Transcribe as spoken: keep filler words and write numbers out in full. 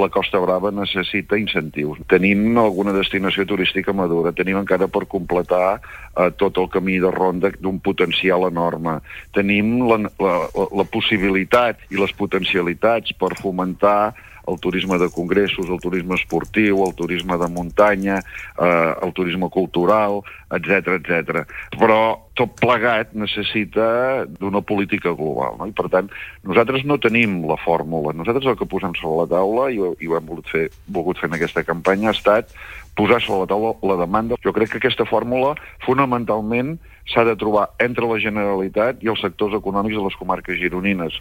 La Costa Brava necessita incentius. Tenim alguna destinació turística madura, tenim encara per completar eh, tot el camí de ronda d'un potencial enorme. Tenim la, la, la possibilitat i les potencialitats per fomentar el turisme de congressos, el turisme esportiu, el turisme de muntanya, eh, el turisme cultural, etcètera, etcètera. Però tot plegat necessita d'una política global, no? I per tant, nosaltres no tenim la fórmula. Nosaltres el que posem sobre la taula, i ho, i ho hem volgut fer, volgut fer en aquesta campanya, ha estat posar sobre la taula la demanda. Jo crec que aquesta fórmula, fonamentalment, s'ha de trobar entre la Generalitat i els sectors econòmics de les comarques gironines.